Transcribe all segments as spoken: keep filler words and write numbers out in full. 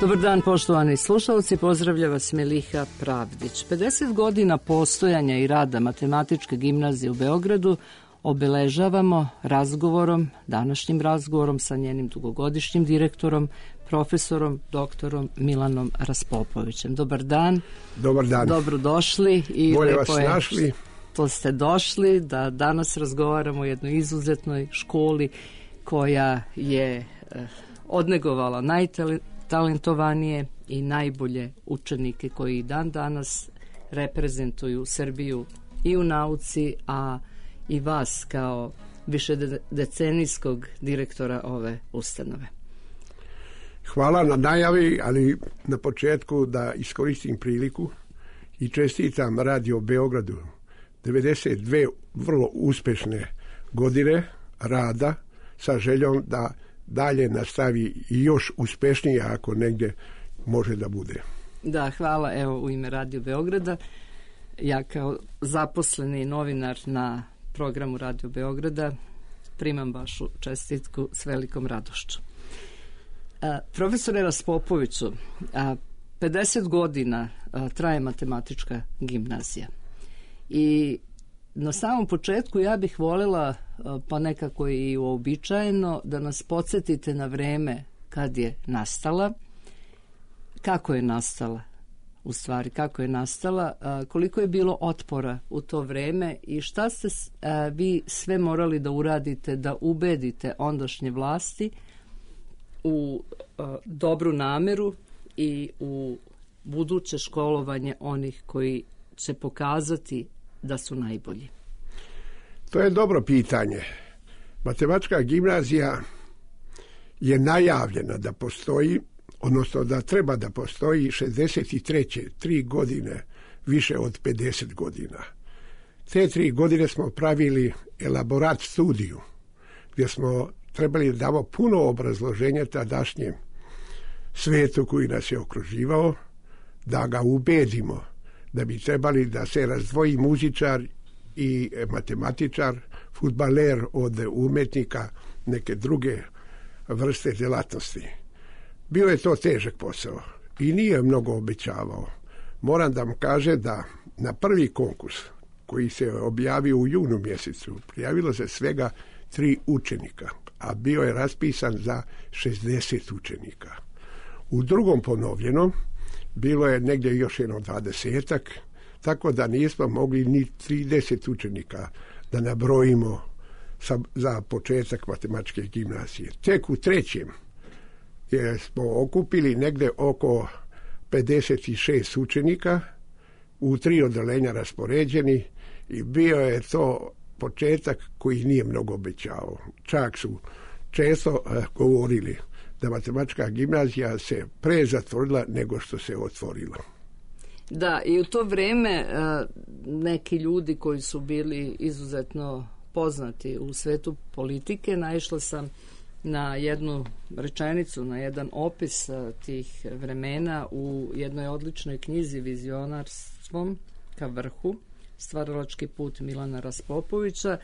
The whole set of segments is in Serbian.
Dobar dan, poštovani slušalci, pozdravlja vas Meliha Pravdić. pedeset godina postojanja i rada Matematičke gimnazije u Beogradu obeležavamo razgovorom, današnjim razgovorom sa njenim dugogodišnjim direktorom, profesorom, doktorom Milanom Raspopovićem. Dobar dan. Dobar dan. Dobrodošli. I bolje lepo vas je našli. To ste došli da danas razgovaramo o jednoj izuzetnoj školi koja je eh, odnegovala najtalentovanije i najbolje učenike koji dan danas reprezentuju Srbiju i u nauci, a i vas kao višedecenijskog direktora ove ustanove. Hvala na najavi, ali na početku da iskoristim priliku i čestitam Radio Beogradu devedeset dve vrlo uspešne godine rada sa željom da dalje nastavi i još uspešnije ako negdje može da bude. Da, hvala. Evo, u ime Radio Beograda, ja kao zaposleni novinar na programu Radio Beograda primam vašu čestitku s velikom radošću. A, profesore Raspopoviću, a, pedeset godina a, traje Matematička gimnazija i na samom početku ja bih voljela, pa nekako i uobičajeno, da nas podsjetite na vreme kad je nastala, kako je nastala, u stvari kako je nastala, koliko je bilo otpora u to vreme i šta ste vi sve morali da uradite da ubedite ondašnje vlasti u dobru nameru i u buduće školovanje onih koji će pokazati da su najbolji. To je dobro pitanje. Matematička gimnazija je najavljena da postoji, odnosno da treba da postoji šezdeset treće tri godine, više od pedeset godina. Te tri godine smo pravili elaborat studiju, gdje smo trebali da damo puno obrazloženja tadašnjem svetu koji nas je okruživao, da ga ubedimo da bi trebali da se razdvoji muzičar i matematičar, fudbaler od umetnika, neke druge vrste djelatnosti. Bio je to težak posao i nije mnogo obećavao. Moram da vam kaže da na prvi konkurs koji se objavio u junu mjesecu prijavilo se svega tri učenika, a bio je raspisan za šezdeset učenika. U drugom ponovljenom bilo je negdje još jedno dvadesetak, tako da nismo mogli ni trideset učenika da nabrojimo sa, za početak Matematičke gimnazije. Tek u trećem je smo okupili negdje oko pedeset šest učenika u tri odeljenja raspoređeni i bio je to početak koji nije mnogo obećao. Čak su često uh, govorili da Matematička gimnazija se pre zatvorila nego što se otvorila. Da, i u to vrijeme neki ljudi koji su bili izuzetno poznati u svetu politike, naišla sam na jednu rečenicu, na jedan opis tih vremena u jednoj odličnoj knjizi Vizionarstvom ka vrhu, stvaralački put Milana Raspopovića.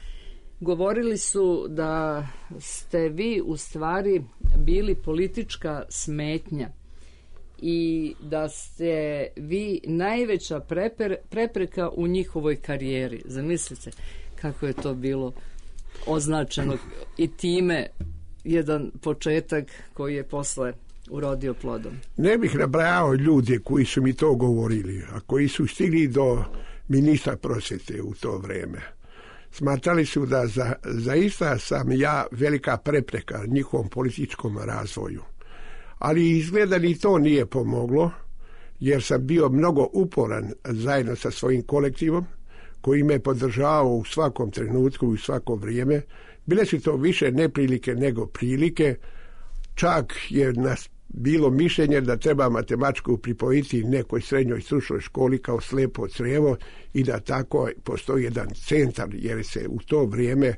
Govorili su da ste vi u stvari bili politička smetnja i da ste vi najveća preper, prepreka u njihovoj karijeri. Zamislite kako je to bilo označeno i time jedan početak koji je posle urodio plodom. Ne bih nabrajao ljude koji su mi to govorili, a koji su stigli do ministra prosvjete u to vrijeme. Smatrali su da za, zaista sam ja velika prepreka njihovom političkom razvoju. Ali izgleda ni to nije pomoglo, jer sam bio mnogo uporan zajedno sa svojim kolektivom, koji me podržavao u svakom trenutku i u svako vrijeme. Bile su to više neprilike nego prilike. Čak je nas bilo mišljenje da treba matematiku pripojiti nekoj srednjoj stručnoj školi kao slepo crijevo i da tako postoji jedan centar, jer se u to vrijeme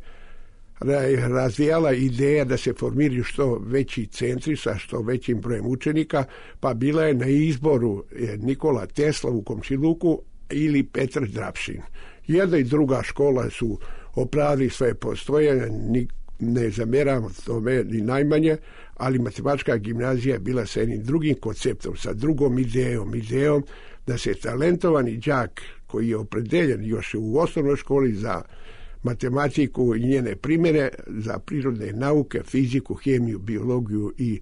razvijala ideja da se formiraju što veći centri sa što većim brojem učenika, pa bila je na izboru Nikola Tesla u Komšiluku ili Petar Drapšin. Jedna i druga škola su opravili svoje postojanje. ne zamjeram tome ni najmanje, ali matematička gimnazija je bila sa jednim drugim konceptom, sa drugom idejom, idejom da se talentovani đak koji je opredeljen još u osnovnoj školi za matematiku i njene primjene, za prirodne nauke, fiziku, hemiju, biologiju i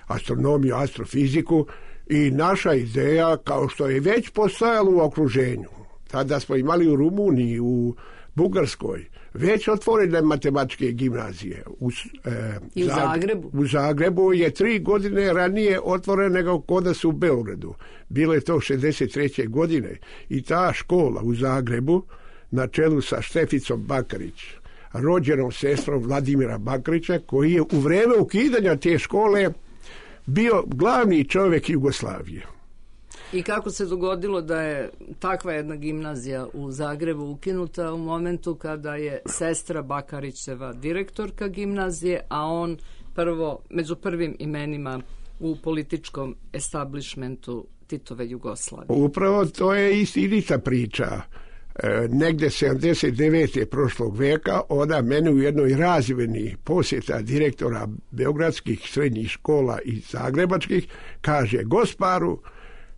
astronomiju, astrofiziku, i naša ideja, kao što je već postojalo u okruženju, tada smo imali u Rumuniji, u Bugarskoj, već otvorene matematičke gimnazije. U, e, I u Zagrebu. U Zagrebu je tri godine ranije otvorena nego kod nas u Beogradu. Bilo je to šezdeset treće godine i ta škola u Zagrebu na čelu sa Šteficom Bakarić, rođenom sestrom Vladimira Bakarića, koji je u vrijeme ukidanja te škole bio glavni čovjek Jugoslavije. I kako se dogodilo da je takva jedna gimnazija u Zagrebu ukinuta u momentu kada je sestra Bakarićeva direktorka gimnazije, a on prvo, među prvim imenima u političkom establishmentu Titove Jugoslavije? Upravo to je istinita priča. E, negde sedamdeset devete prošlog veka ona mene u jednoj razmjeni posjeta direktora beogradskih srednjih škola i zagrebačkih kaže: Gosparu,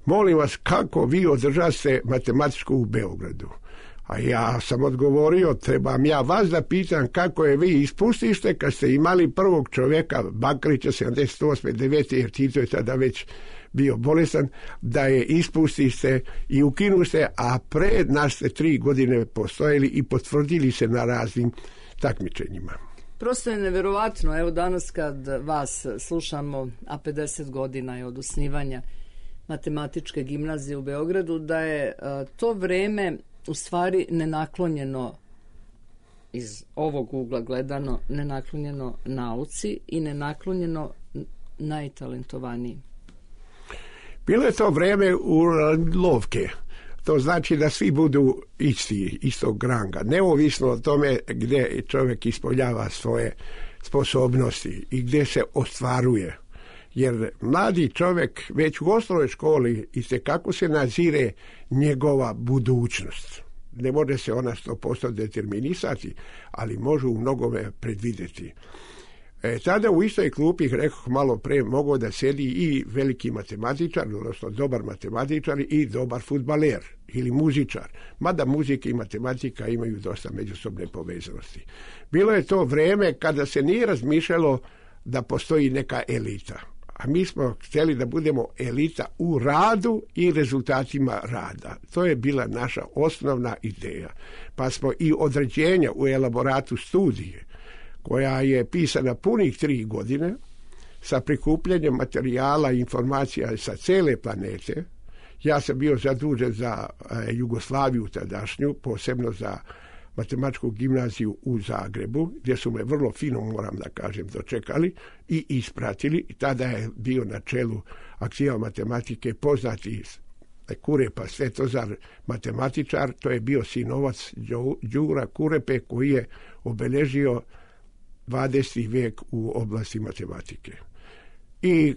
molim vas, kako vi održaste matematičku u Beogradu? A ja sam odgovorio, trebam ja vas da pitam kako je vi ispustište kad ste imali prvog čovjeka, Bakarića, sedamdeset osme devete jer Tito je tada već bio bolestan, da je ispustište i ukinuste, a pre nas ste tri godine postojili i potvrdili se na raznim takmičenjima. Prosto je neverovatno, evo danas kad vas slušamo, a pedeset godina je od osnivanja matematičke gimnazije u Beogradu, da je a, to vreme u stvari nenaklonjeno, iz ovog ugla gledano, nenaklonjeno nauci i nenaklonjeno najtalentovanijim. Bilo je to vreme u lovke. To znači da svi budu isti, istog ranga, neovisno o tome gdje čovjek ispoljava svoje sposobnosti i gdje se ostvaruje. Jer mladi čovjek već u osnovnoj školi itekako se nazire njegova budućnost. Ne može se ona sto posto determinisati, ali može u mnogome predvidjeti. E, tada u istoj klupi, rekoh malo pre, mogao da sedi i veliki matematičar, odnosno dobar matematičar i dobar fudbaler ili muzičar. Mada muzika i matematika imaju dosta međusobne povezanosti. Bilo je to vrijeme kada se nije razmišljalo da postoji neka elita. A mi smo htjeli da budemo elita u radu i rezultatima rada. To je bila naša osnovna ideja. Pa smo i određenja u elaboratu studije, koja je pisana punih tri godine, sa prikupljanjem materijala i informacija sa cele planete. Ja sam bio zadužen za e, Jugoslaviju tadašnju, posebno za matematičku gimnaziju u Zagrebu, gdje su me vrlo fino, moram da kažem, dočekali i ispratili. I tada je bio na čelu akcija matematike poznati Kurepa Svetozar, matematičar. To je bio sinovac Đura Kurepe, koji je obeležio dvadeseti vijek u oblasti matematike. I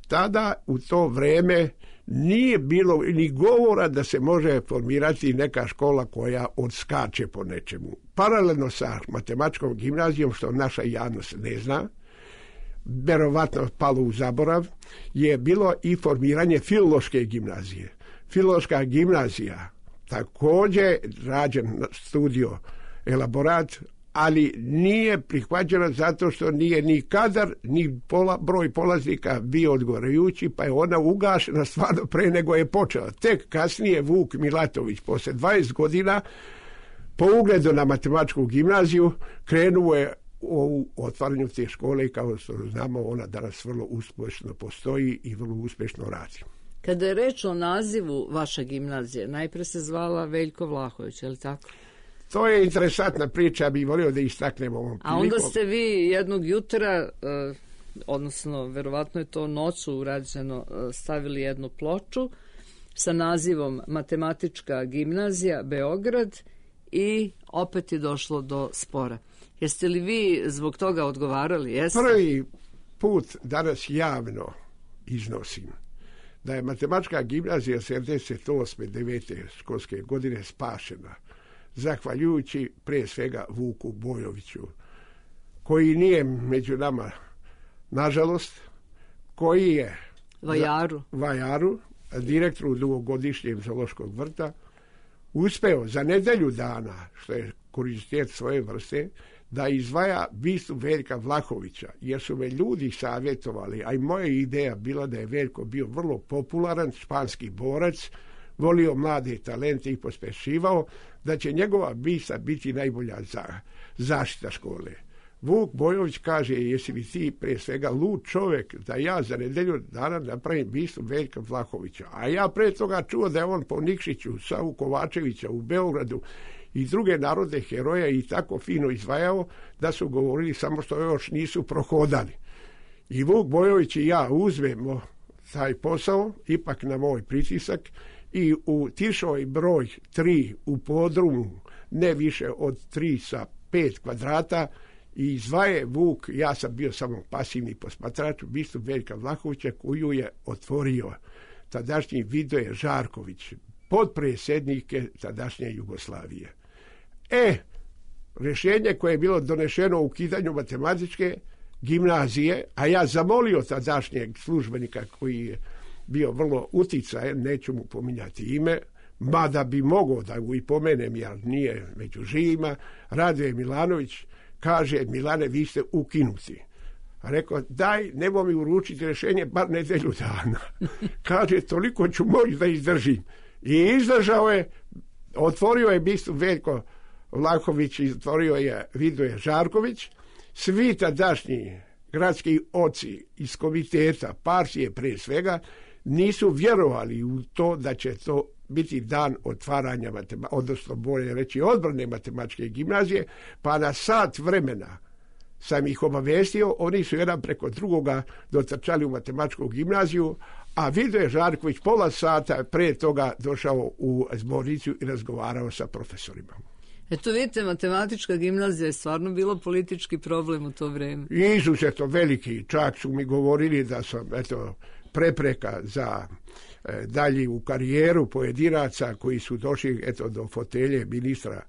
tada u to vrijeme nije bilo ni govora da se može formirati neka škola koja odskače po nečemu. Paralelno sa matematičkom gimnazijom, što naša javnost ne zna, verovatno palo u zaborav, je bilo i formiranje filološke gimnazije. Filološka gimnazija također rađen studio elaborat, ali nije prihvaćena zato što nije ni kadar, ni pola, broj polaznika bio odgovarajući, pa je ona ugašena stvarno pre nego je počela. Tek kasnije Vuk Milatović, poslije dvadeset godina, po ugledu na matematičku gimnaziju, krenuo je u otvaranju te škole i kao što znamo, ona danas vrlo uspješno postoji i vrlo uspješno radi. Kada je reč o nazivu vaše gimnazije, najpre se zvala Veljko Vlahović, je li tako? To je interesantna priča, ja bih volio da istaknemo ovom prilikom. A onda ste vi jednog jutra, eh, odnosno verovatno je to noću urađeno, eh, stavili jednu ploču sa nazivom Matematička gimnazija Beograd i opet je došlo do spora. Jeste li vi zbog toga odgovarali? Jeste? Prvi put danas javno iznosim da je matematička gimnazija sedamdeset osme devete školske godine spašena zahvaljujući prije svega Vuku Bojoviću, koji nije među nama, nažalost, koji je Vajaru, Vajaru direktoru dugogodišnjeg zoološkog vrta, uspeo za nedelju dana, što je kuriozitet svoje vrste, da izdvaja bistu Veljka Vlahovića, jer su me ljudi savjetovali, a i moja ideja bila da je Veljko bio vrlo popularan, španski borac, volio mlade talente i pospešivao, da će njegova bista biti najbolja za zaštita škole. Vuk Bojović kaže, jesi li ti pre svega lud čovjek da ja za nedelju dana napravim bistu Veljka Vlahovića. A ja pre toga čuo da je on po Nikšiću, Savu Kovačevića u Beogradu i druge narodne heroje i tako fino izvajao da su govorili samo što još nisu prohodali. I Vuk Bojović i ja uzmemo taj posao, ipak na moj pritisak, i u Tišoj broj tri u podrumu, ne više od tri sa pet kvadrata, i izvaje Vuk, ja sam bio samo pasivni posmatrač, bistu Veljka Vlahovića, koju je otvorio tadašnji Vidoje Žarković, potpredsjednike tadašnje Jugoslavije. E, rješenje koje je bilo donešeno u ukidanju matematičke gimnazije, a ja zamolio tadašnjeg službenika koji je bio vrlo uticajan, neću mu pominjati ime, mada bi mogao da ga i pomenem, jer nije među živima, Radoje Milanović, kaže, Milane, vi ste ukinuti. A rekao, daj, nemoj mi uručiti rješenje, bar nedelju dana. Kaže, toliko ću moći da izdržim. I izdržao je, otvorio je bistu Veljko Vlahović, otvorio je Vidoje Žarković. Svi tadašnji gradski oci iz komiteta, partije pre svega, nisu vjerovali u to da će to biti dan otvaranja, odnosno bolje reći odbrane matematičke gimnazije, pa na sat vremena sam ih obavestio, oni su jedan preko drugoga dotrčali u matematičku gimnaziju, a Vidoje Žarković pola sata pre toga došao u zbornicu i razgovarao sa profesorima. Eto vidite, matematička gimnazija je stvarno bilo politički problem u to vrijeme. Izuzetno veliki, čak su mi govorili da sam, eto, prepreka za e, dalje u karijeru pojedinaca koji su došli, eto, do fotelje ministra.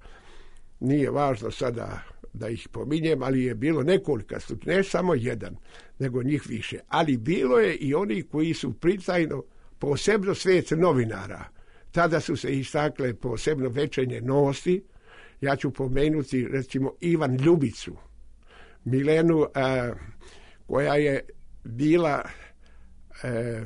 Nije važno sada da ih pominjem, ali je bilo nekoliko, ne samo jedan, nego njih više. Ali bilo je i oni koji su pritajno, posebno svijet novinara, tada su se istakle posebno Večernje Novosti. Ja ću pomenuti, recimo, Ivan Ljubicu, Milenu, a, koja je bila e,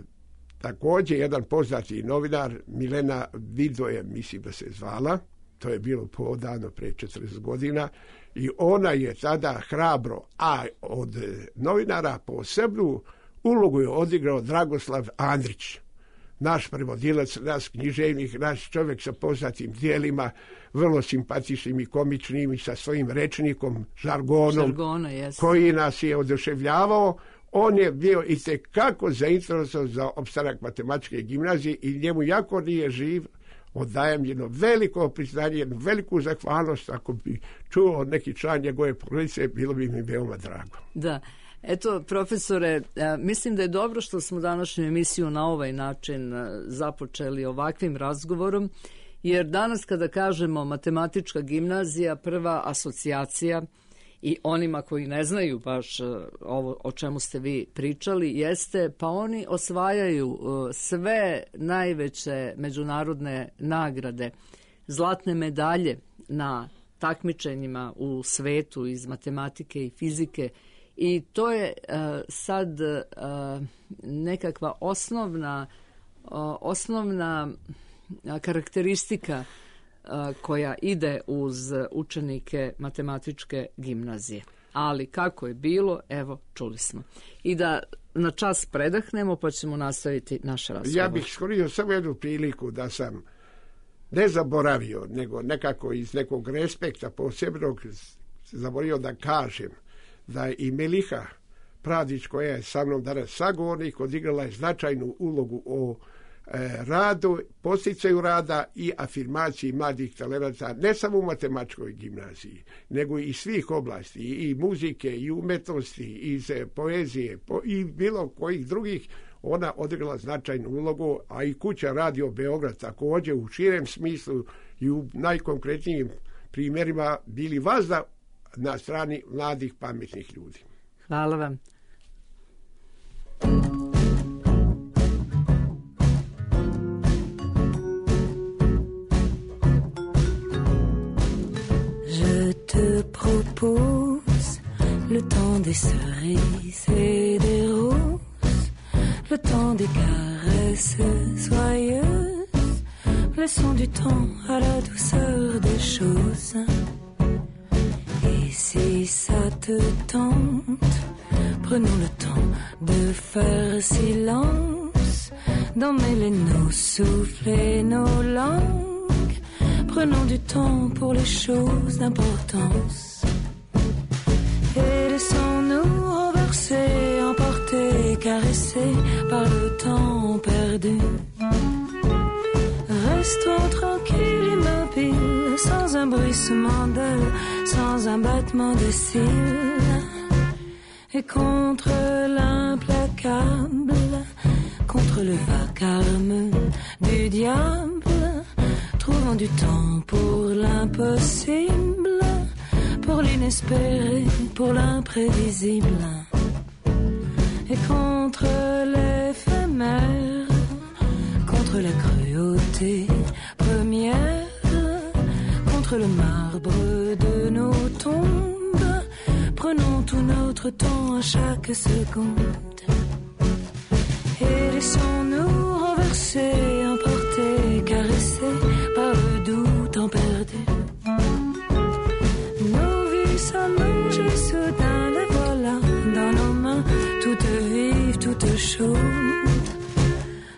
također jedan poznati novinar, Milena Vidoje, mislim da se zvala, to je bilo podano pre četrdeset godina, i ona je tada hrabro, a od novinara posebnu ulogu je odigrao Dragoslav Andrić, naš prevodilac, naš književnik, naš čovjek sa poznatim dijelima, vrlo simpatičnim i komičnim i sa svojim rečnikom, žargonom, Žargona, koji nas je oduševljavao. On je bio itekako zainteresovan za opstanak matematičke gimnazije i njemu jako nije živ. Odajem jedno veliko priznanje, jednu veliku zahvalnost. Ako bi čuo neki član njegove porodice, bilo bi mi veoma drago. Da. Eto, profesore, mislim da je dobro što smo današnju emisiju na ovaj način započeli ovakvim razgovorom, jer danas kada kažemo matematička gimnazija, prva asocijacija i onima koji ne znaju baš ovo o čemu ste vi pričali, jeste pa oni osvajaju sve najveće međunarodne nagrade, zlatne medalje na takmičenjima u svetu iz matematike i fizike. I to je uh, sad uh, nekakva osnovna, uh, osnovna karakteristika uh, koja ide uz učenike matematičke gimnazije. Ali kako je bilo, evo, čuli smo. I da na čas predahnemo, pa ćemo nastaviti naš razgovor. Ja bih iskoristio samo jednu priliku da sam ne zaboravio, nego nekako iz nekog respekta posebnog zaboravio da kažem da i Meliha Pravdić, koja je sa mnom danas sagovornik, odigrala je značajnu ulogu o e, radu, posticaju rada i afirmaciji mladih talenata, ne samo u matematičkoj gimnaziji, nego i svih oblasti, i muzike, i umetnosti, i iz poezije, po, i bilo kojih drugih. Ona odigrala značajnu ulogu, a i kuća Radio Beograd također u širem smislu i u najkonkretnijim primjerima bili vazda na strani mladih pametnih ljudi. Hvala vam. Je te propose le temps des cerises et des roses, le temps des caresses soyeuses, laissons du temps à la douceur des choses. Et si ça te tente, prenons le temps de faire silence, d'emmêler nos souffles et nos langues. Prenons du temps pour les choses d'importance. Et laissons-nous renverser, emporter, caresser par le temps perdu. Restons tranquilles, immobiles, sans un bruissement d'ailes, sans un battement de cils. Et contre l'implacable, contre le vacarme du diable, trouvons du temps pour l'impossible, pour l'inespéré, pour l'imprévisible. Et contre l'éphémère, contre la cruauté première, contre le marbre de nos tombes, prenons tout notre temps à chaque seconde. Et laissons-nous renverser, emporter, caresser par le doux temps perdu. Nos vies s'allongent soudain, les voilà dans nos mains, toutes vives, toutes chaudes,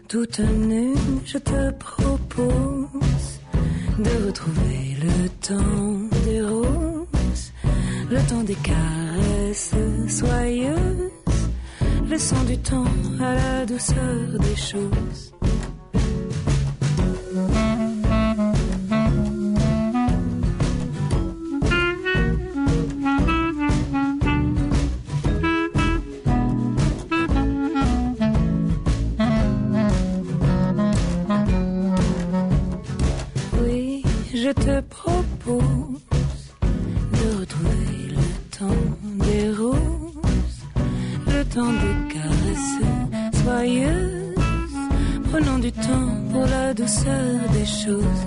toutes nues. Je te propose de retrouver le temps des roses, le temps des caresses soyeuses, laissons du temps à la douceur des choses. Oui, je te propose de retrouver le temps des roses, le temps des caresses soyeuses, prenons du temps pour la douceur des choses.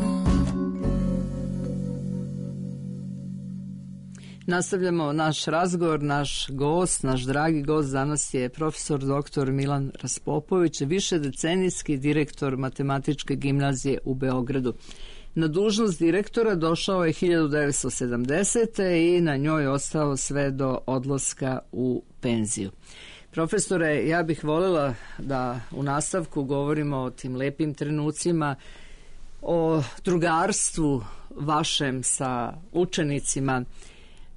Nastavljamo naš razgovor, naš gost, naš dragi gost danas je profesor doktor Milan Raspopović, višedecenijski direktor Matematičke gimnazije u Beogradu. Na dužnost direktora došao je hiljadu devetsto sedamdesete. i na njoj ostao sve do odlaska u penziju. Profesore, ja bih voljela da u nastavku govorimo o tim lepim trenucima, o drugarstvu vašem sa učenicima,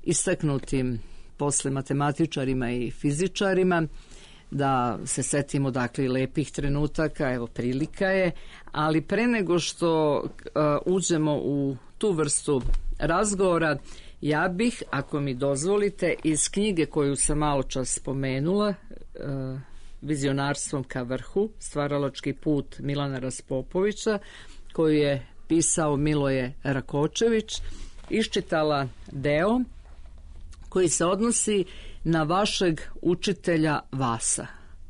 istaknutim posle matematičarima i fizičarima, da se setimo dakle lepih trenutaka, evo prilika je, ali pre nego što uh, uđemo u tu vrstu razgovora, ja bih, ako mi dozvolite, iz knjige koju sam malo čas spomenula, uh, Vizionarstvom ka vrhu, stvaralački put Milana Raspopovića, koju je pisao Miloje Rakočević, iščitala deo koji se odnosi na vašeg učitelja Vasa.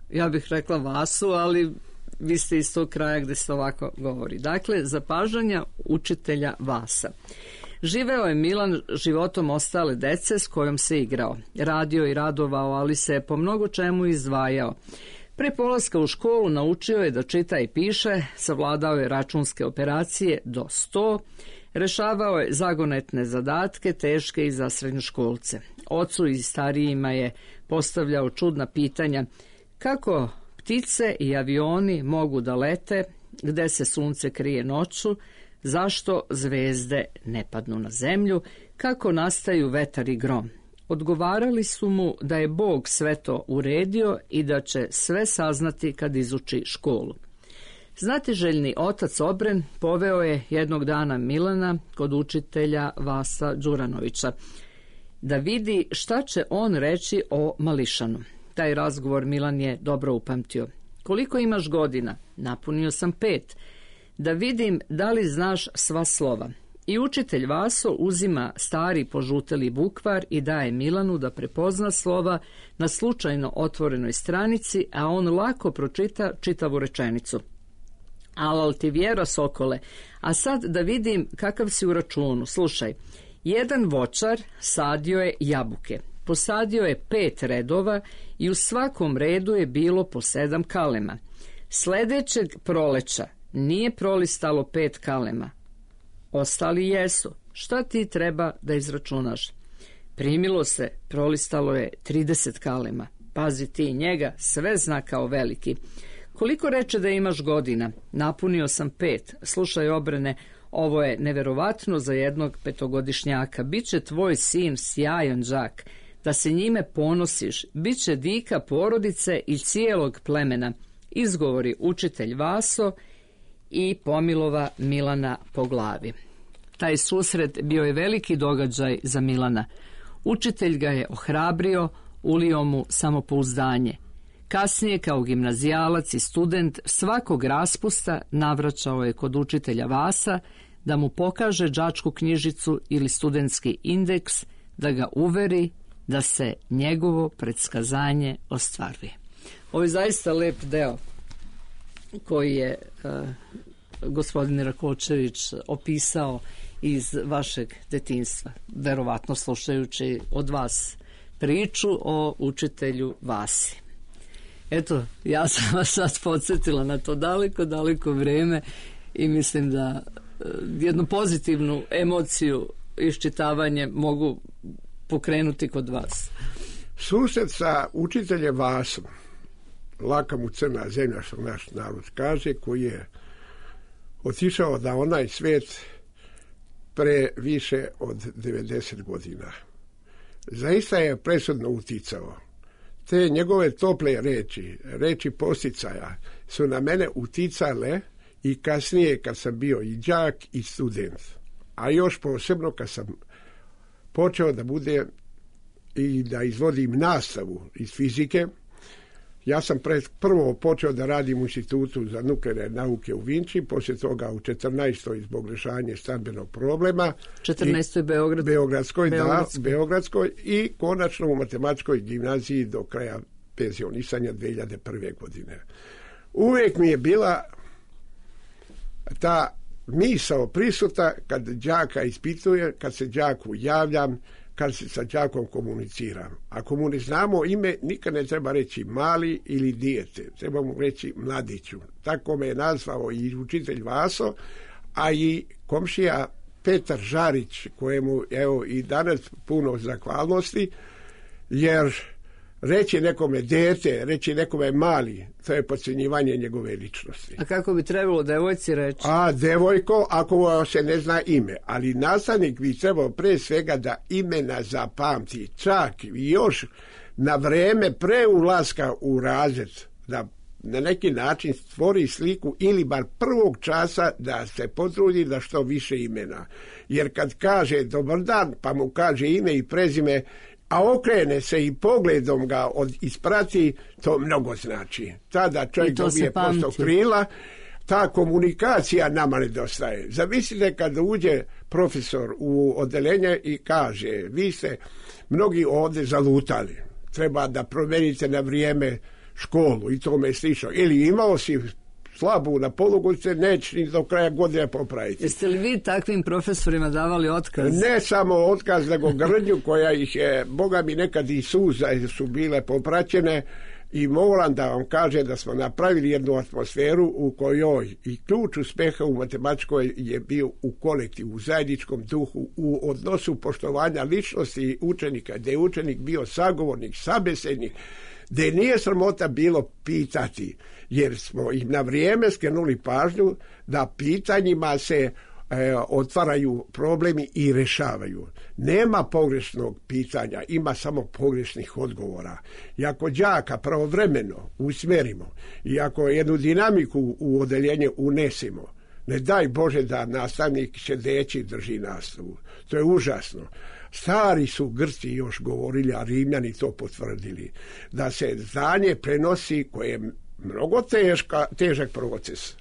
Ja bih rekla Vasu, ali vi ste iz tog kraja gde se ovako govori. Dakle, zapažanja učitelja Vasa. Živeo je Milan životom ostale dece s kojom se igrao. Radio i radovao, ali se po mnogo čemu izdvajao. Pre polaska u školu naučio je da čita i piše, savladao je računske operacije do sto, rešavao je zagonetne zadatke, teške i za srednjoškolce. Ocu i starijima je postavljao čudna pitanja kako ptice i avioni mogu da lete, gde se sunce krije noću, zašto zvezde ne padnu na zemlju, kako nastaju vetar i grom. Odgovarali su mu da je Bog sve to uredio i da će sve saznati kad izuči školu. Znatiželjni otac Obren poveo je jednog dana Milana kod učitelja Vasa Đuranovića da vidi šta će on reći o Mališanu. Taj razgovor Milan je dobro upamtio. Koliko imaš godina? Napunio sam pet. Da vidim da li znaš sva slova. I učitelj Vaso uzima stari požuteli bukvar i daje Milanu da prepozna slova na slučajno otvorenoj stranici, a on lako pročita čitavu rečenicu. Alal ti vjera, sokole, a sad da vidim kakav si u računu. Slušaj, jedan voćar sadio je jabuke. Posadio je pet redova i u svakom redu je bilo po sedam kalema. Sledećeg proleća nije prolistalo pet kalema. Ostali jesu. Šta ti treba da izračunaš? Primilo se, prolistalo je trideset kalema. Pazi ti, njega sve zna kao veliki. Koliko reče da imaš godina? Napunio sam pet. Slušaj, Obrene, ovo je neverovatno za jednog petogodišnjaka. Biće tvoj sin sjajan đak, da se njime ponosiš. Biće dika porodice i cijelog plemena. Izgovori učitelj Vaso i pomilova Milana po glavi. Taj susret bio je veliki događaj za Milana. Učitelj ga je ohrabrio, ulio mu samopouzdanje. Kasnije, kao gimnazijalac i student, svakog raspusta navraćao je kod učitelja Vasa da mu pokaže đačku knjižicu ili studentski indeks, da ga uveri da se njegovo predskazanje ostvaruje. Ovo je zaista lep deo koji je uh, gospodin Rakočević opisao iz vašeg detinjstva, verovatno slušajući od vas priču o učitelju Vasi. Eto, ja sam vas sad podsjetila na to daleko, daleko vreme i mislim da uh, jednu pozitivnu emociju iščitavanje mogu pokrenuti kod vas. Susret sa učiteljem Vasom, laka mu crna zemlja, što naš narod kaže, koji je otišao na onaj svijet pre više od devedeset godina. Zaista je presudno uticao. Te njegove tople reči, reči posticaja, su na mene uticale i kasnije kad sam bio i đak i student. A još posebno kad sam počeo da bude i da izvodim nastavu iz fizike. Ja sam pred, prvo počeo da radim u Institutu za nuklearne nauke u Vinči, poslije toga u četrnaestoj zbog rješavanja stambenog problema. četrnaestoj Beograd. Beogradskoj, Beogradskoj. da, Beogradskoj i konačno u matematičkoj gimnaziji do kraja penzionisanja dve hiljade prve. godine. Uvijek mi je bila ta misao prisuta kad đaka ispituje, kad se đaku javljam, kad se sa đakom komuniciram. Ako mu ne znamo ime, nikad ne treba reći mali ili dijete. Treba mu reći mladiću. Tako me je nazvao i učitelj Vaso, a i komšija Petar Žarić, kojemu evo i danas puno zahvalnosti, jer reći nekome dete, reći nekome mali, to je podcjenjivanje njegove ličnosti. A kako bi trebalo devojci reći? A devojko, ako se ne zna ime. Ali nastavnik bi trebao pre svega da imena zapamti. Čak i još na vreme pre ulaska u razred, da na neki način stvori sliku ili bar prvog časa da se potrudi da što više imena. Jer kad kaže dobar dan, pa mu kaže ime i prezime, a okrene se i pogledom ga od isprati, to mnogo znači. Tada čovjek dobije posto krila, ta komunikacija nama nedostaje. Zamislite kada uđe profesor u odelenje i kaže, vi ste mnogi ovdje zalutali, treba da promenite na vrijeme školu i tome slično. Ili imao si slabu na polugovice, neće ni do kraja godine popraviti. Jeste li vi takvim profesorima davali otkaz? Ne samo otkaz, nego grdnju koja ih je, Boga mi nekad i suza su bile popraćene i moram da vam kaže da smo napravili jednu atmosferu u kojoj i ključ uspeha u matematičkoj je bio u kolektivu, u zajedničkom duhu, u odnosu poštovanja ličnosti učenika, gdje je učenik bio sagovornik, sabesednik, gdje nije sramota bilo pitati, jer smo im na vrijeme skrenuli pažnju da pitanjima se e, otvaraju problemi i rešavaju. Nema pogrešnog pitanja, ima samo pogrešnih odgovora. I ako đaka pravovremeno usmjerimo i ako jednu dinamiku u odeljenje unesemo, ne daj Bože da nastavnik sedeći drži nastavu. To je užasno. Stari su Grci još govorili, a Rimljani to potvrdili, da se znanje prenosi koje je mnogo teška, težak proces,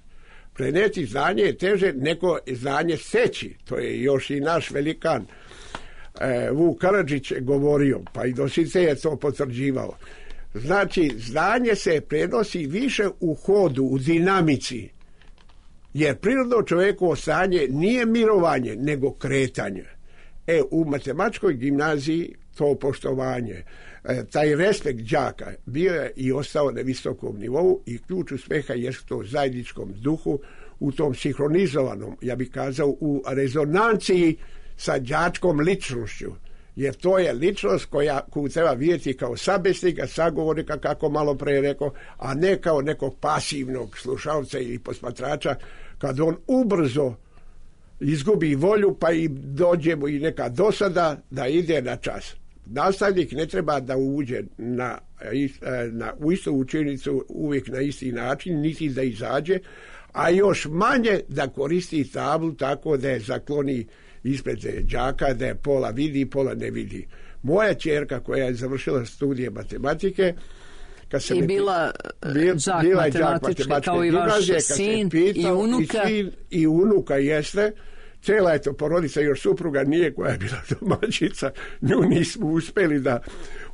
Preneti znanje je teže nego znanje steći. To je još i naš velikan e, Vuk Karadžić govorio, pa i Dosice je to potvrđivao. Znači, znanje se prenosi više u hodu, u dinamici, jer prirodno čovjekovo stanje nije mirovanje, nego kretanje. E, u matematičkoj gimnaziji to poštovanje, e, taj respekt đaka bio je i ostao na visokom nivou i ključ uspeha je to u zajedničkom duhu, u tom sinhronizovanom, ja bih kazao, u rezonanciji sa đačkom ličnošću. Jer to je ličnost koja, koju treba vidjeti kao sabesnika, sagovornika, kako malo pre rekao, a ne kao nekog pasivnog slušalca ili posmatrača, kad on ubrzo izgubi volju, pa i dođe mu i neka dosada da ide na čas. Nastavnik ne treba da uđe na, na, u istu učenicu uvijek na isti način, niti da izađe, a još manje da koristi tablu tako da je zakloni ispred đaka, da je pola vidi, pola ne vidi. Moja ćerka koja je završila studije matematike, kad se I bila đak matematičke, kao i vaš sin pitao, i unuka. I sin i unuka jeste. Cela je to porodica, još supruga nije, koja je bila domaćica, nju nismo uspeli da...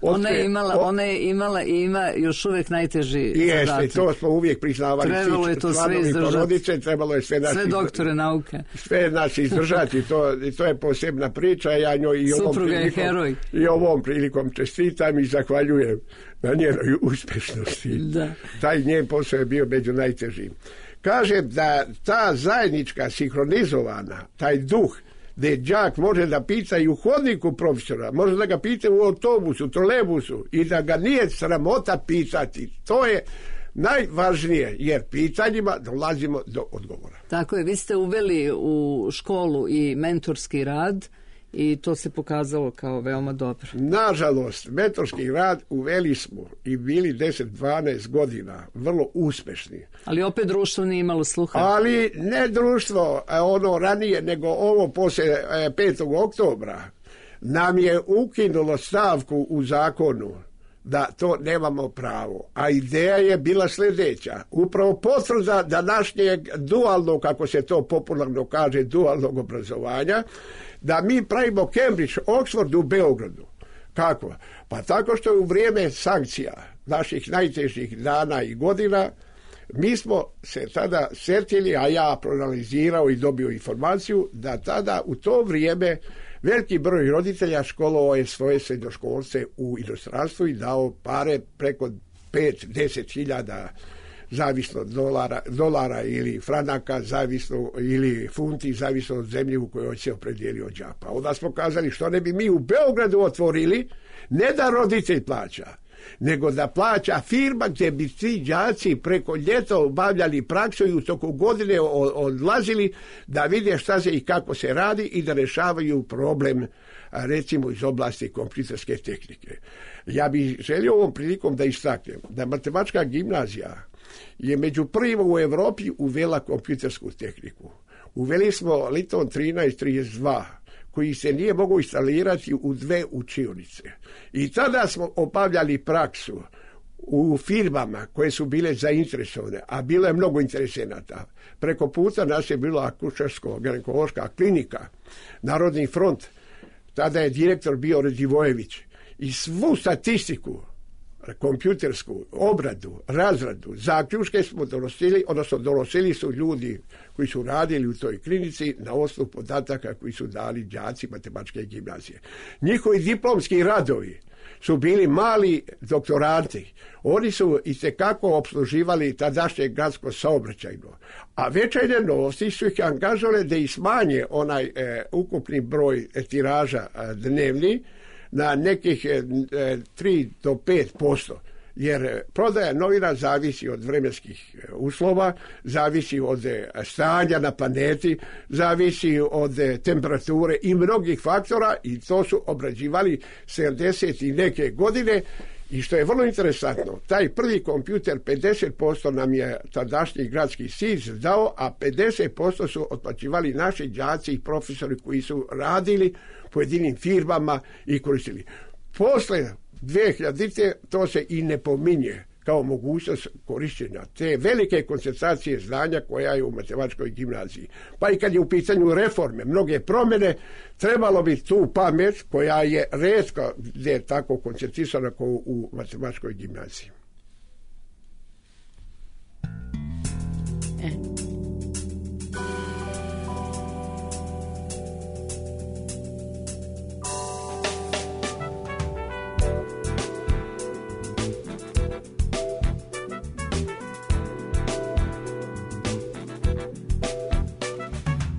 Otkre, ona je imala, o, ona je imala i ima još uvijek najteži jeste, zadatak. To smo uvijek priznavali. Trebalo je to sve izdržati. Porodice, trebalo je sve, sve doktore nauke. Sve nas izdržati, to, to je posebna priča. Ja njoj i ovom, prilikom, i ovom prilikom čestitam i zahvaljujem na njenoj uspješnosti. Da. Taj njen posao je bio među najtežim. Kažem da ta zajednička sinhronizovana, taj duh gdje đak može da pita i u hodniku profesora, može da ga pita u autobusu, trolebusu i da ga nije sramota pitati. To je najvažnije, jer pitanjima dolazimo do odgovora. Tako je, vi ste uveli u školu i mentorski rad i to se pokazalo kao veoma dobro. Nažalost, mentorski rad uveli smo i bili deset dvanaest godina vrlo uspešni. Ali opet društvo nije imalo sluha. Ali ne društvo, ono ranije, nego ovo poslije petog oktobra nam je ukinulo stavku u zakonu da to nemamo pravo. A ideja je bila sljedeća. Upravo potvrda današnjeg dualnog, kako se to popularno kaže, dualnog obrazovanja, da mi pravimo Cambridge, Oxford u Beogradu. Kako? Pa tako što je u vrijeme sankcija naših najtežih dana i godina mi smo se tada sjetili, a ja proanalizirao i dobio informaciju, da tada u to vrijeme veliki broj roditelja školovao je svoje srednjoškolce u inostranstvu i dao pare preko pet do deset hiljada zavisno od dolara, dolara ili franaka, zavisno ili funti, zavisno od zemlje u kojoj se opredijelio đak. Pa onda smo kazali što ne bi mi u Beogradu otvorili, ne da roditelj plaća, nego da plaća firma gdje bi ti đaci preko ljeta obavljali praksu i u toku godine odlazili da vide šta se i kako se radi i da rješavaju problem, recimo iz oblasti kompjuterske tehnike. Ja bih želio ovom prilikom da istaknem da matematička gimnazija je među prvima u Europi uvela kompjutersku tehniku. Uveli smo Liton trinaest trideset dva, koji se nije mogao instalirati u dve učionice. I tada smo obavljali praksu u firmama koje su bile zainteresovane, a bilo je mnogo interesenata. Preko puta nas je bila akušersko-ginekološka klinika, Narodni front, tada je direktor bio Radivojević. I svu statistiku, kompjutersku obradu, razradu, zaključke smo donosili, odnosno donosili su ljudi koji su radili u toj klinici na osnovu podataka koji su dali đaci matematičke gimnazije. Njihovi diplomski radovi su bili mali doktoranti. Oni su itekako opsluživali tadašnje gradsko saobraćajno. A Večernje novosti su ih angažovali da ih smanje onaj e, ukupni broj e, tiraža e, dnevni na nekih e, tri do pet posto. Jer prodaja novina zavisi od vremenskih uslova, zavisi od stanja na planeti, zavisi od temperature i mnogih faktora, i to su obrađivali sedamdeset i neke godine. I što je vrlo interesantno, taj prvi kompjuter pedeset posto nam je tadašnji gradski S I Z dao, a pedeset posto su otplaćivali naši đaci i profesori koji su radili pojedinim firmama i koristili. Posle dve hiljadite to se i ne pominje kao mogućnost korištenja te velike koncentracije znanja koja je u matematičkoj gimnaziji. Pa i kad je u pitanju reforme, mnoge promjene, trebalo bi tu pamet koja je retko gdje je tako koncentrisana kao u matematičkoj gimnaziji. E.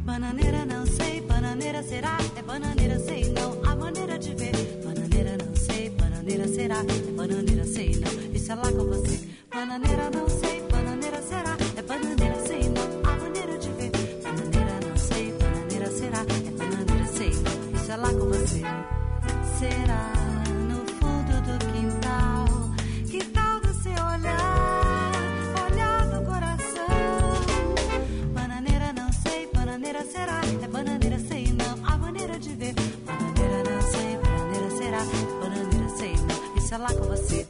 Bananeira não sei, bananeira será, é bananeira sei não, a maneira de ver. Bananeira não sei, bananeira será, é bananeira sei não, isso é lá com você. Bananeira não sei, bananeira será, é bananeira sei não, a maneira de ver. Bananeira não sei, bananeira será, é bananeira sei não, isso é lá com você. Será no fundo do quintal, que tal você olhar, olhar do coração. Bananeira não sei, bananeira será, é bananeira sei não, a maneira de ver. Bananeira não sei, bananeira será, é bananeira sei não, isso é lá com você.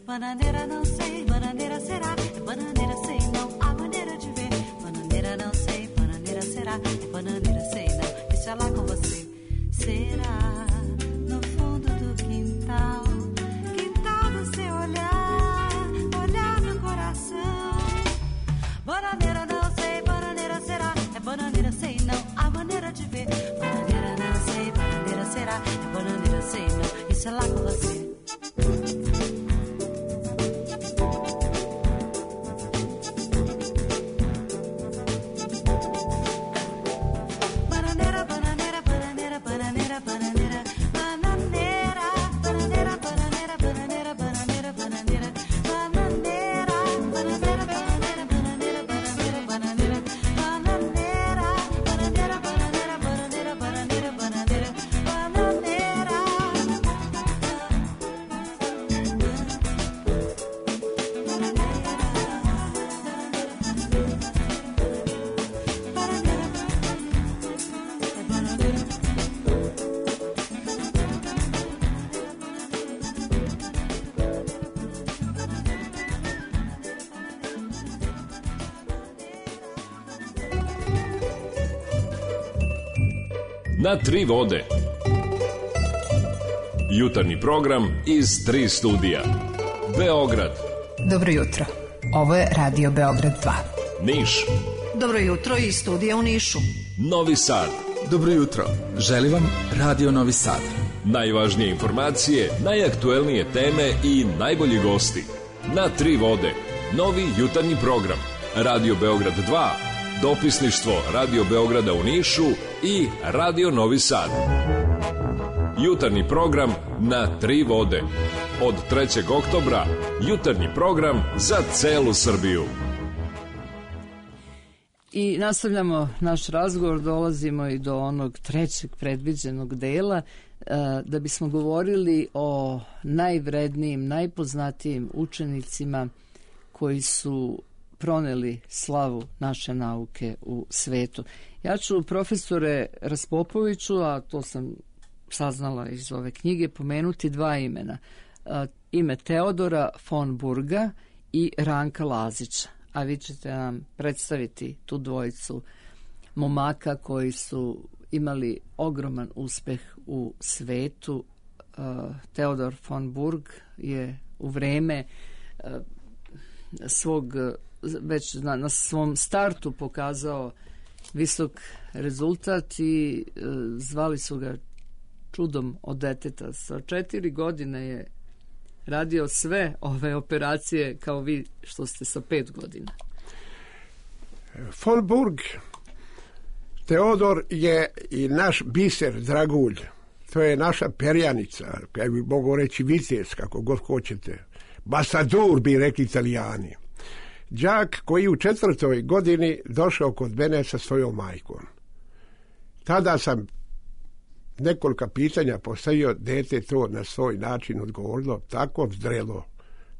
Bananeira não sei, bananeira será, é bananeira sei não, a maneira de ver. Bananeira não sei, bananeira será, é bananeira sei não, isso é lá com você. Será no fundo do quintal, quintal do seu olhar, olhar do coração. Bananeira não sei, bananeira será, é bananeira sei não, a maneira de ver. Bananeira não sei, bananeira será, é bananeira sei não, isso é lá com você. Na tri vode. Jutarnji program iz tri studija. Beograd. Dobro jutro. Ovo je Radio Beograd dva. Niš. Dobro jutro iz studija u Nišu. Novi Sad. Dobro jutro. Želim vam Radio Novi Sad. Najvažnije informacije, najaktuelnije teme i najbolji gosti. Na tri vode. Novi jutarnji program. Radio Beograd dva. Dopisništvo Radio Beograda u Nišu i Radio Novi Sad. Jutarnji program na tri vode. Od trećeg oktobra jutarnji program za celu Srbiju. I nastavljamo naš razgovor, dolazimo i do onog trećeg predviđenog dela da bismo govorili o najvrednijim, najpoznatijim učenicima koji su proneli slavu naše nauke u svetu. Ja ću, profesore Raspopoviću, a to sam saznala iz ove knjige, pomenuti dva imena. Ime Teodora von Burga i Ranka Lazića. A vi ćete nam predstaviti tu dvojicu momaka koji su imali ogroman uspeh u svetu. Teodor von Burg je u vreme svog već na, na svom startu pokazao visok rezultat i e, zvali su ga čudom od deteta. Sa četiri godine je radio sve ove operacije kao vi što ste sa pet godina. Von Burg Teodor je i naš biser, dragulj. To je naša perjanica, ja bih mogu reći vitez, kako god hoćete. Basadur bi rekli Italijani. Đak koji u četvrtoj godini došao kod mene sa svojom majkom. Tada sam nekoliko pitanja postavio, dete to na svoj način odgovorilo, tako vzdralo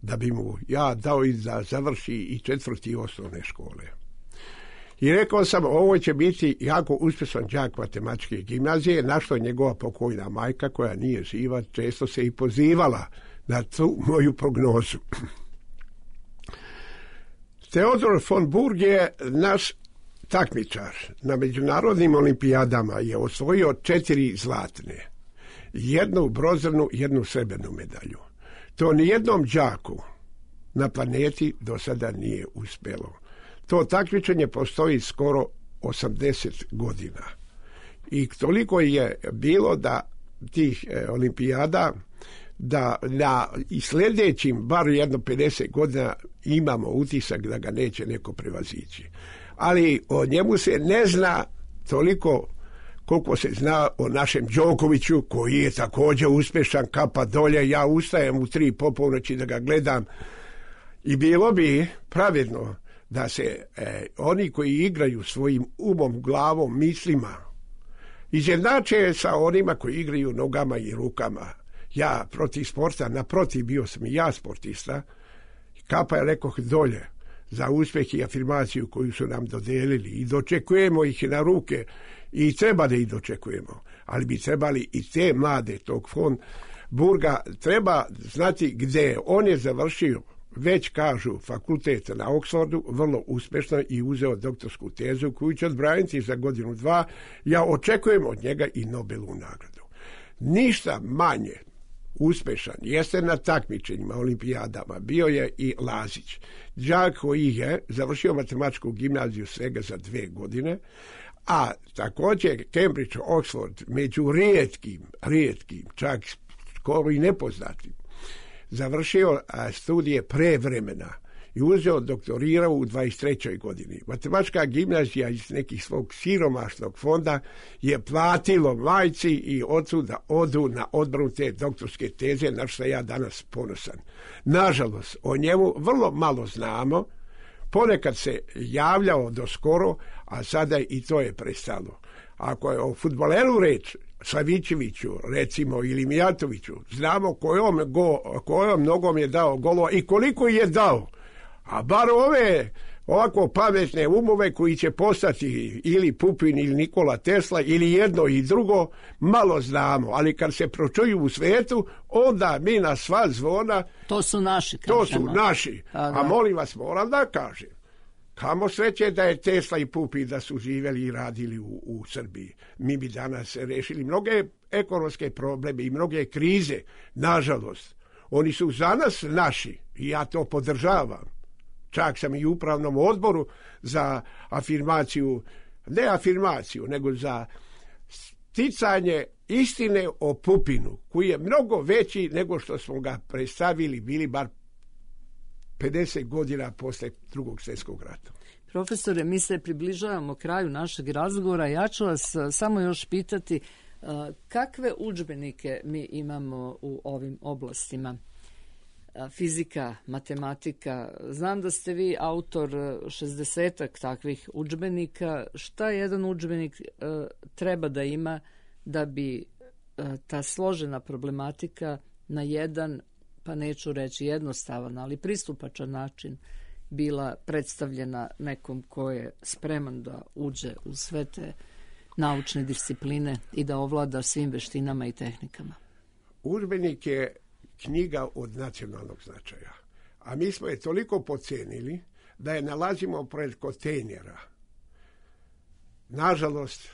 da bi mu ja dao i da završi i četvrti osnovne škole. I rekao sam, ovo će biti jako uspješan đak matematičke gimnazije, na što njegova pokojna majka, koja nije živa, često se i pozivala na tu moju prognozu. Teodor von Burg je naš takmičar. Na međunarodnim olimpijadama je osvojio četiri zlatne, jednu bronzanu, jednu srebrnu medalju. To nijednom đaku na planeti do sada nije uspjelo. To takmičenje postoji skoro osamdeset godina. I toliko je bilo da tih e, olimpijada, da na i sljedećim, bar jedno pedeset godina, imamo utisak da ga neće neko prevazići. Ali o njemu se ne zna toliko koliko se zna o našem Đokoviću, koji je također uspješan, kapa dolje. Ja ustajem u tri poponoći da ga gledam i bilo bi pravedno da se e, oni koji igraju svojim umom, glavom, mislima izjednače sa onima koji igraju nogama i rukama. Ja protiv sporta, naprotiv, bio sam i ja sportista. Kapa je rekoh dolje za uspjeh i afirmaciju koju su nam dodelili i dočekujemo ih na ruke i treba da ih dočekujemo, ali bi trebali i te mlade tog von Burga treba znati gdje on je završio, već kažu, fakultet na Oxfordu, vrlo uspješno, i uzeo doktorsku tezu koju će odbraniti za godinu dva. Ja očekujem od njega i Nobelovu nagradu. Ništa manje uspješan jeste na takmičenjima, olimpijadama, bio je i Lazić. Đak koji je završio matematičku gimnaziju svega za dve godine, a također Cambridge, Oxford, među rijetkim, rijetkim, čak skoro i nepoznatim, završio studije pre vremena i uzeo, doktorirao u dvadeset trećoj godini. Matematička gimnazija iz nekih svog siromašnog fonda je platilo majci i ocu da odu na odbranu te doktorske teze, na što ja danas ponosan. Nažalost, o njemu vrlo malo znamo, ponekad se javljao do skoro, a sada i to je prestalo. Ako je o fudbaleru reč, Savićeviću, recimo, ili Mijatoviću, znamo kojom, go, kojom nogom je dao golova i koliko je dao. A bar ove ovako pametne umove koji će postati ili Pupin ili Nikola Tesla ili jedno i drugo, malo znamo, ali kad se pročuju u svijetu, onda mi na sva zvona, to su naši, kažemo. To su naši. A, a molim vas, moram da kažem, kamo sreće da je Tesla i Pupin da su živjeli i radili u, u Srbiji. Mi bi danas rešili mnoge ekonomske probleme i mnoge krize. Nažalost, oni su za nas naši i ja to podržavam. Čak sam i u upravnom odboru za afirmaciju, ne afirmaciju, nego za sticanje istine o Pupinu, koji je mnogo veći nego što smo ga predstavili, bili bar pedeset godina posle Drugog svjetskog rata. Profesore, mi se približavamo kraju našeg razgovora. Ja ću vas samo još pitati kakve udžbenike mi imamo u ovim oblastima. Fizika, matematika. Znam da ste vi autor šezdesetak takvih udžbenika. Šta jedan udžbenik e, treba da ima da bi e, ta složena problematika na jedan, pa neću reći jednostavan, ali pristupačan način bila predstavljena nekom ko je spreman da uđe u sve te naučne discipline i da ovlada svim veštinama i tehnikama? Udžbenik je knjiga od nacionalnog značaja. A mi smo je toliko pocenili da je nalazimo pred kontejnera. Nažalost,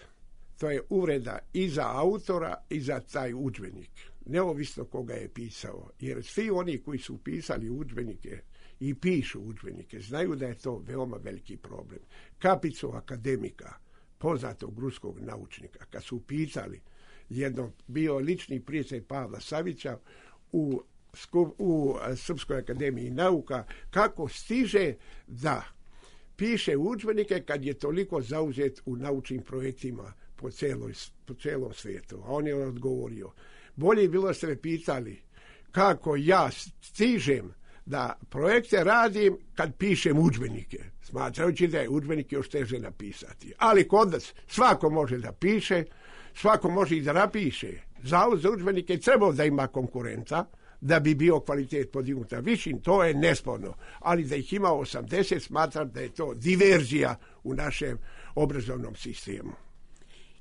to je uvreda i za autora i za taj udžbenik. Neovisno koga je pisao. Jer svi oni koji su pisali udžbenike i pišu udžbenike, znaju da je to veoma veliki problem. Kapicu akademika, poznatog ruskog naučnika, kad su pitali, jedno bio lični prijatelj Pavla Savića u, u Srpskoj akademiji nauka, kako stiže da piše udžbenike kad je toliko zauzet u naučnim projektima po, celoj, po celom svijetu. A on je odgovorio, bolje bilo da ste me pitali kako ja stižem da projekte radim kad pišem udžbenike, smatrajući da je udžbenike još teže napisati. Ali kod nas svako može da piše, svako može i da napiše. Zavod za udžbenike trebao da ima konkurenta, da bi bio kvalitet podignuta višim, to je nesporno. Ali da ih ima osamdeset, smatram da je to diverzija u našem obrazovnom sistemu.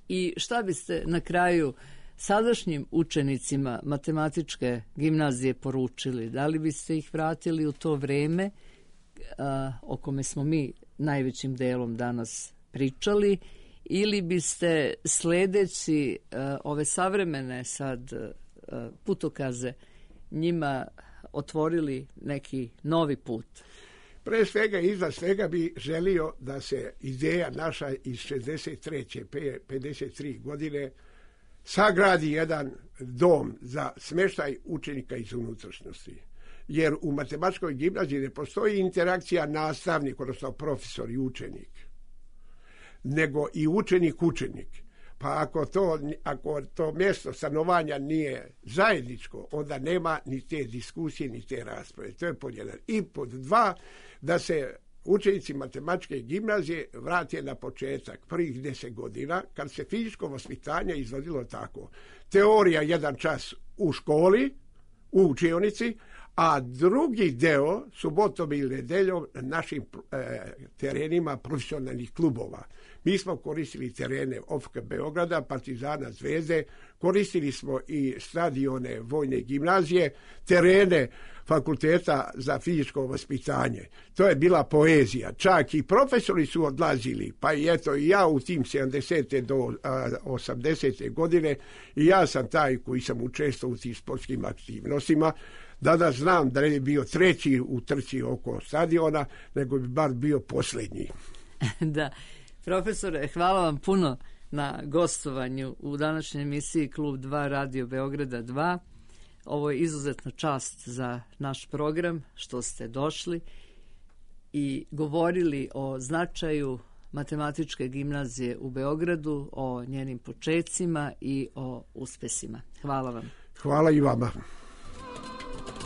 I šta biste na kraju sadašnjim učenicima matematičke gimnazije poručili? Da li biste ih vratili u to vreme a, o kome smo mi najvećim delom danas pričali, ili biste sledeći a, ove savremene sad a, putokaze njima otvorili neki novi put? Pre svega, iznad svega bi želio da se ideja naša iz šezdeset treće pedeset tri godine sagradi jedan dom za smještaj učenika iz unutrašnjosti. Jer u matematičkoj gimnaziji ne postoji interakcija nastavnik, odnosno profesor i učenik, nego i učenik-učenik. Pa ako to, ako to mjesto stanovanja nije zajedničko, onda nema ni te diskusije, ni te rasprave. To je pod jedan. I pod dva, da se učenici matematičke gimnazije vrate na početak prvih deset godina, kad se fizičko vaspitanje izvodilo tako. Teorija jedan čas u školi, u učionici, a drugi deo, subotom ili nedeljom, na našim e, terenima profesionalnih klubova. Mi smo koristili terene O F K Beograda, Partizana, Zvezde, koristili smo i stadione vojne gimnazije, terene fakulteta za fizičko vaspitanje. To je bila poezija. Čak i profesori su odlazili, pa i eto i ja u tim sedamdesete do osamdesete godine, i ja sam taj koji sam učestvovao u tim sportskim aktivnostima. Danas znam da ne bi bio treći u trci oko stadiona, nego bi bar bio posljednji. Da, profesore, hvala vam puno na gostovanju u današnjoj emisiji Klub dva Radio Beograda dva. Ovo je izuzetna čast za naš program što ste došli i govorili o značaju matematičke gimnazije u Beogradu, o njenim počecima i o uspesima. Hvala vam. Hvala i vama.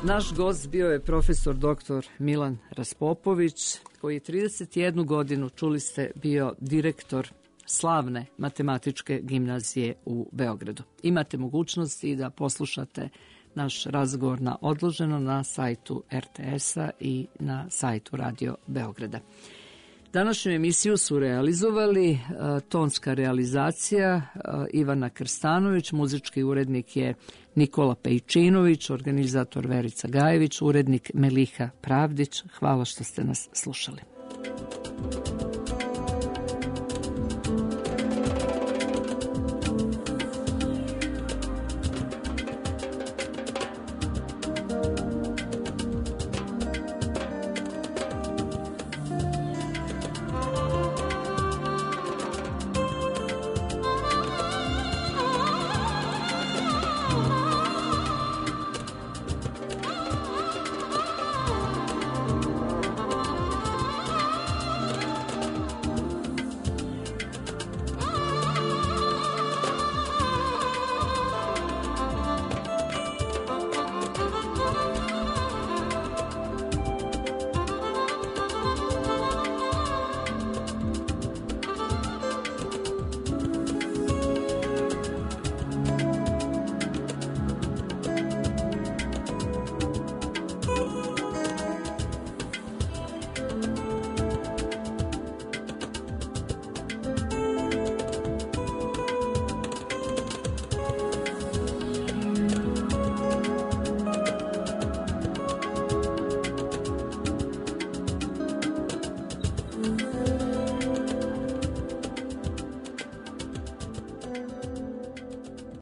Naš gost bio je profesor doktor Milan Raspopović, koji je trideset jednu godinu, čuli ste, bio direktor slavne matematičke gimnazije u Beogradu. Imate mogućnost i da poslušate naš razgovor na odloženo na sajtu R T S-a i na sajtu Radio Beograda. Današnju emisiju su realizovali uh, tonska realizacija uh, Ivana Krstanović, muzički urednik je Nikola Pejčinović, organizator Verica Gajević, urednik Meliha Pravdić. Hvala što ste nas slušali.